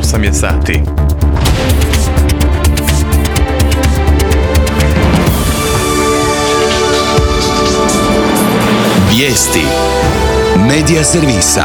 8 je sati. Vijesti Medija servisa.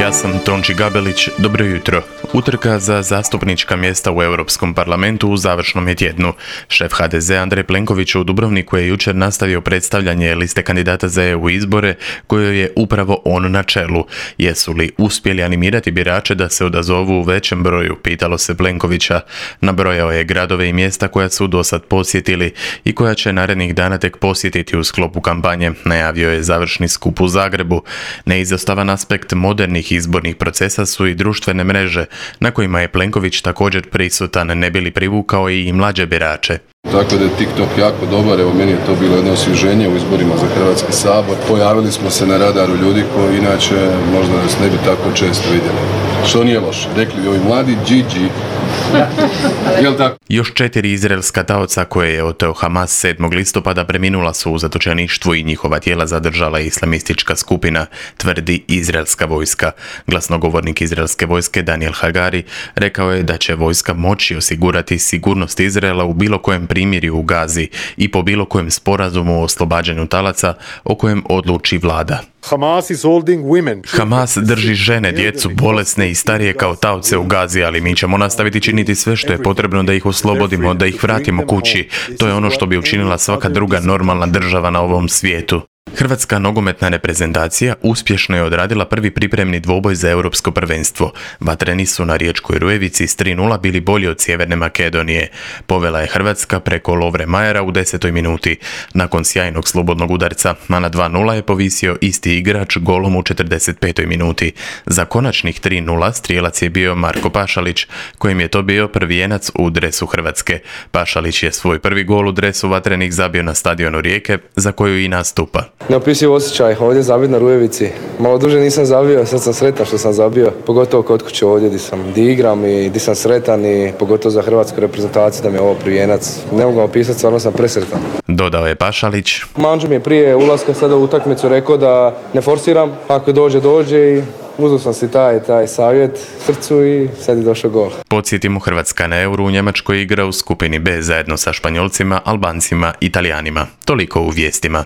Ja sam Tonči Gabelić, dobro jutro. Utrka za zastupnička mjesta u Europskom parlamentu u završnom je tjednu. Šef HDZ Andrej Plenković u Dubrovniku je jučer nastavio predstavljanje liste kandidata za EU izbore, kojoj je upravo on na čelu. Jesu li uspjeli animirati birače da se odazovu u većem broju, pitalo se Plenkovića. Nabrojao je gradove i mjesta koja su dosad posjetili i koja će narednih dana tek posjetiti u sklopu kampanje. Najavio je završni skup u Zagrebu. Neizostavan aspekt modernih izbornih procesa su i društvene mreže, na kojima je Plenković također prisutan, ne bi li privukao i mlađe birače. Tako da je TikTok jako dobar, evo meni je to bilo jedno osvježenje u izborima za Hrvatski sabor. Pojavili smo se na radaru ljudi koji inače možda nas ne bi tako često vidjeli. Što nije loše, rekli bi ovi mladi GG. Jel tako? Još 4 izraelska taoca koje je oteo Hamas 7. listopada preminula su u zatočeništvu i njihova tijela zadržala islamistička skupina, tvrdi izraelska vojska. Glasnogovornik izraelske vojske Daniel Hagari rekao je da će vojska moći osigurati sigurnost Izraela u bilo kojem primirju u Gazi i po bilo kojem sporazumu o oslobađanju talaca o kojem odluči vlada. Hamas drži žene, djecu, bolesne i starije kao taoce u Gazi, ali mi ćemo nastaviti činiti sve što je potrebno da ih oslobodimo, da ih vratimo kući. To je ono što bi učinila svaka druga normalna država na ovom svijetu. Hrvatska nogometna reprezentacija uspješno je odradila prvi pripremni dvoboj za europsko prvenstvo. Vatreni su na Riječkoj Rujevici s 3:0 bili bolji od Sjeverne Makedonije. Povela je Hrvatska preko Lovre Majera u 10. minuti. Nakon sjajnog slobodnog udarca, a na 2:0 je povisio isti igrač golom u 45. minuti. Za konačnih 3:0 strijelac je bio Marko Pašalić, kojim je to bio prvijenac u dresu Hrvatske. Pašalić je svoj prvi gol u dresu Vatrenih zabio na stadionu Rijeke, za koju i nastupa. Neopisiv osjećaj ovdje zabiti na Rujevici. Malo duže nisam zabio, sad sam sretan što sam zabio. Pogotovo kod kuće ovdje gdje igram i gdje sam sretan i pogotovo za hrvatsku reprezentaciju da mi je ovo prvijenac. Ne mogu vam opisati, stvarno sam presretan. Dodao je Pašalić. Mandžu mi je prije ulaska sada u utakmicu rekao da ne forsiram, ako dođe i uzeo sam si taj savjet srcu i sad je došao gol. Podsjetimo, Hrvatska na Euru u Njemačkoj igra u skupini B zajedno sa Španjolcima, Albancima i Talijanima. Toliko u vijestima.